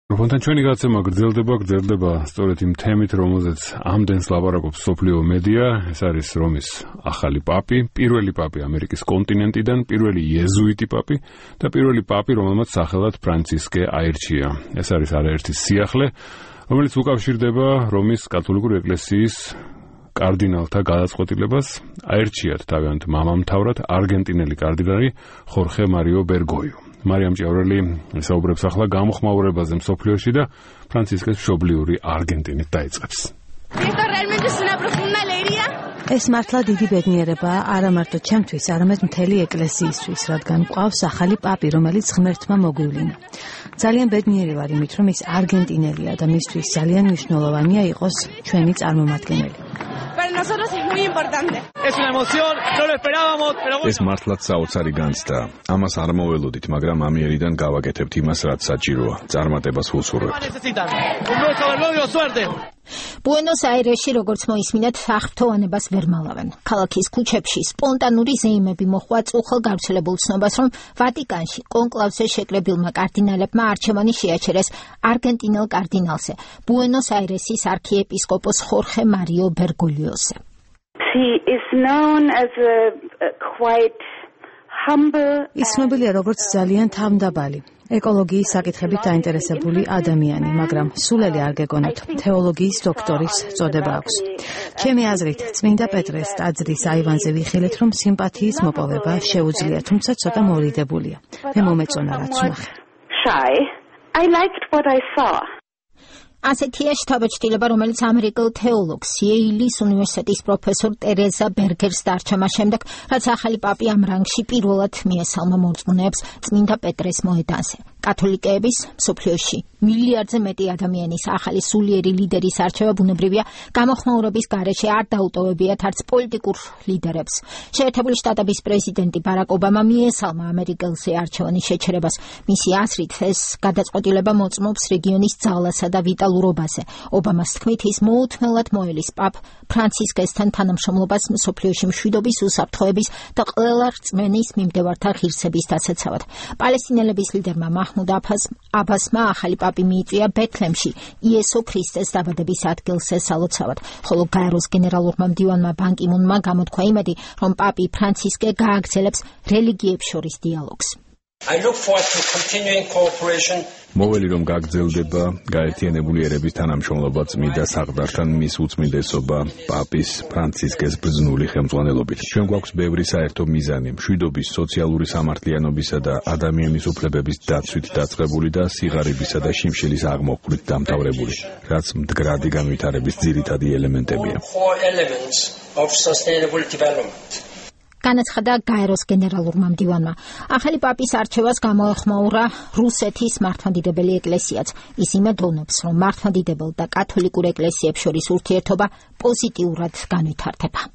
Რობონთან ჩვენი გაცემა გრძელდება სწორედ იმ თემით, რომელზეც ამდენს ლაპარაკობს მსოფლიო მედია. ეს არის რომის ახალი პაპი, პირველი პაპი ამერიკის კონტინენტიდან, პირველი იეზუიტი პაპი და პირველი პაპი, რომელმაც სახელად ფრანცისკე აირჩია. ეს არის არაერთი სიახლე, რომელიც უკავშირდება რომის კათოლიკური ეკლესიის კარდინალთა გადაწყვეტილებას აერჩიათ თავიანთ მამამთავრად არგენტინელი კარდინალი ხორხე მარიო ბერგოიუ. მარიამ ჭიაურელი საუბრებს ახლა გამოხმაურებაზე მსოფლიოში და ფრანცისკეს მშობლიური არგენტინით დაიწყებს. ეს მართლა დიდი ბედნიერებაა არა მარტო ჩემთვის, არამედ მთელი ეკლესიისთვის, რადგან გვყავს ახალი პაპი, რომელიც ღმერთმა მოგვივლინა. ძალიან ბედნიერი ვარ იმით, რომ ის არგენტინელია და მისთვის ძალიან მნიშვნელოვანია იყოს ჩვენი წარმომადგენელი. ეს მართლაც საოცარი განცდა. ამას არ მოველოდით, მაგრამ ამიერიდან გავაკეთებთ იმას, რაც საჭიროა. წარმატებას ვუსურვებთ. ბუენოს-აირესში, როგორც მოისმინეთ, აღფრთოვანებას ვერ მალავენ. ქალაქის ქუჩებში სპონტანური ზეიმები მოჰყვა წუხელ გავრცელებულ ცნობას, რომ ვატიკანში კონკლავზე შეკრებილმა კარდინალებმა არჩევანი შეაჩერეს არგენტინელ კარდინალზე, ბუენოს-აირესის არქიეპისკოპოს ხორხე მარიო ბერგოლიოზე. ის ცნობილია როგორც ძალიან თავმდაბალი, ეკოლოგიის საკითხებით დაინტერესებული ადამიანი, მაგრამ სულელი არ გეგონოთ, თეოლოგიის დოქტორის წოდება აქვს. ჩემი აზრით, წმინდა პეტრეს ტაძრის აივანზე ვიხილეთ, რომ სიმპათიის მოპოვება შეუძლია, თუმცა ცოტა მორიდებულია. მე მომეწონა რაც ვნახე. ასეთია შთაბეჭდილება, რომელიც ამერიკელ თეოლოგს იეილის უნივერსიტეტის პროფესორ ტერეზა ბერგერს დარჩა შემდეგ, რაც ახალი პაპი ამ რანგში პირველად მიესალმა მორწმუნეებს წმინდა პეტრეს მოედანზე. კათოლიკეების მსოფლიოში მილიარდზე მეტი ადამიანის ახალი სულიერი ლიდერის არჩევა ბუნებრივია გამოხმაურების გარეშე არ დაუტოვებიათ არც პოლიტიკურ ლიდერებს. შეერთებული შტატების პრეზიდენტი ბარაკ ობამა მიესალმა ამერიკელზე არჩევანის შეჩერებას. მისი აზრით, ეს გადაწყვეტილება მოწმობს რეგიონის ძალასა და ვიტალურობაზე. ობამას თქმით, ის მოუთმელად მოელის პაპ ფრანცისკესთან თანამშრომლობას მსოფლიოში მშვიდობის, უსაფრთხოების და ყველა რწმენის მიმდევართა ღირსების დასაცავად. პალესტინელების ლიდერმა მაჰმუდ აბასმა ახალი პაპი მიიწვია ბეთლემში იესო ქრისტეს დაბადების ადგილზე სალოცავად, ხოლო გაეროს გენერალურმა მდივანმა ბან კი მუნმა გამოთქვა იმედი, რომ პაპი ფრანცისკე გააგრძელებს რელიგიებს შორის დიალოგს. მოველი რომ გაგრძელდება გაერთიანებული ერების თანამშრომლობა წმინდა საყდართან მის უწმინდესობა პაპის ფრანცისკეს ბრძნული ხელმძღვანელობით. ჩვენ გვაქვს ბევრი საერთო მიზანი, მშვიდობის, სოციალური სამართლიანობისა და ადამიანის უფლებების დაცვით დაწყებული და სიღარიბისა და შიმშილის აღმოფხვრით დამთავრებული, რაც მდგრადი განვითარების ძირითადი ელემენტებია. განაცხადა გაეროს გენერალურმა მდივანმა. ახალი პაპის არჩევას გამოეხმაურა რუსეთის მართლმადიდებელი ეკლესიაც. ის იმედოვნებს, რომ მართლმადიდებელ და კათოლიკურ ეკლესიებს შორის ურთიერთობა პოზიტიურად განვითარდება.